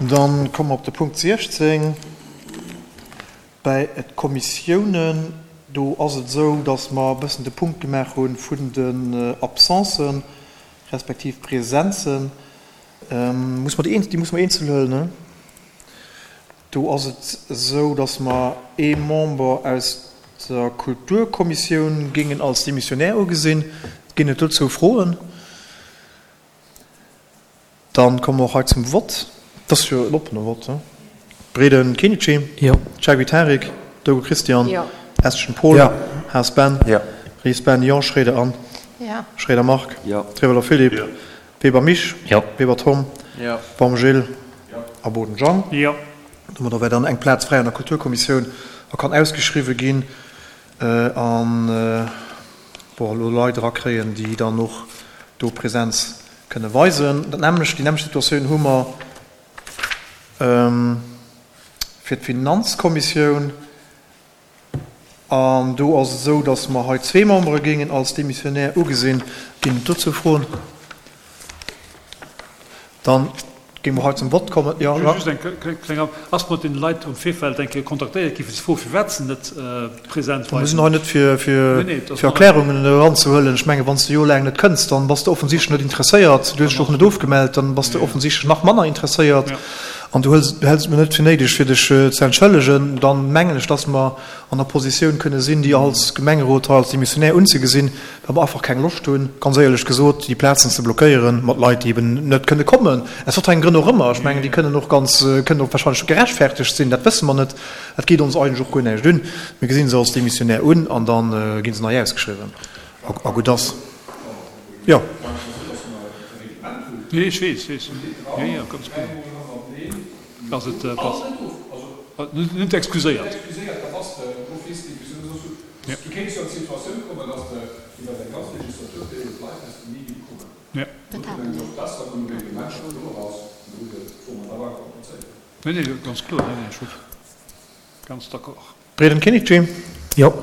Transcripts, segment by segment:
Dann komme mer op de Punkt 16 bäi d'Kommissiounen. Do ass et esou, dass mer e bëssen de Punkt gemaach hu vun den Absencen respektiv Presenzen. Muss mer déi eenzel, déi muss mer eenzel huelen, ne? Do ass et esou, dass mer ee Member aus der Kulturkommissioun géingen als Demissionnaire ugesinn. Ginn et dozou Froen? Dann komme mer och hei zum Vott. Et ass jo en oppene Vott, he? Breden Kenichi? Jo. Chagui Tarik? Dogo Christian? Jo. Estgen Paul? Jo. Haas Ben? Jo. Ries Ben? Jo. Schroeder Anne? Jo. Schroeder Marc? Jo. Trewelder Philippe? Jo. Weber Mich? Jo. Weber Tom? Jo. Baum Gilles? Jo. A Boden Jean? Jo. Domadder wär dann eng Plaz fräi an der Kulturkommissioun a kann ausgeschriwwe ginn an, bon, elo Leit erakréien, déi dann och do Präsenz kënne weisen. Dat nämmlecht, déi nämmlecht Situatioun hu mer fir d'Finanzkommissioun. An do ass et esou, datt mer hei zwee Membere géingen als Démissionnaire ugesinn. Ginn et dozou Froen? Dann géinge mer hei zum Vott kommen. Jo, Jacques? Just eng kleng An. Ass mat deene Leit am Virfeld eng Kéier kontaktéiert gi fir ze froen, firwat se net present waren? Mir sinn hei net fir fir Erklärungen eranzehuelen. Ech mengen, wann s de jorelaang net kënns, dann bass de offensichtlech net interesséiert. Du hues dech och net ofgemellt, dann bass de offensichtlech nach manner interesséiert. An du hëls, du häls et mir net fir néideg, fir dech ze entschëllegen, dann mengen ech, dass mer an der Positioun kënne sinn, déi als Gemengerot hei als Demissionär unzegesinn, well mer einfach keng Loscht hunn, ganz éierlech gesot, déi Plazen ze blockéieren mat Leit, déi eben net kënne kommen, aus wat fir engem Grënn och ëmmer. Ech mengen, déi kënnen och ganz, kënnen och wahrscheinlech gerechtfertegt sinn, dat wësse mer net. Dat geet ons eigentlech och guer näischt un. Mir gesinn se als Demissionär un an da gi se nei ausgeschriwwen a gutt ass. Jo. Nee, ech weess, weess. Jo, jo, ganz genau. Ass et pass. Net excuséiert. Ja. Nee, nee, ganz kloer. Nee, nee, ech hu ganz d'accord. Breden Kinnici. Jo.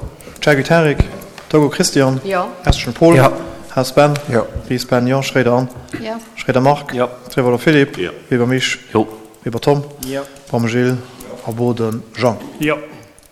Chagui Tarik. Togo Christian. Jo. Estgen Paul. Jo. Haas Ben. Jo. Ries Ben, jo. Schroeder Anne. Jo. Schroeder Marc. Jo. Trewolder Philippe. Jo. Weber Mich. Jo. Weber Tom. Jo. Baum Gilles. A Boden Jean. Jo.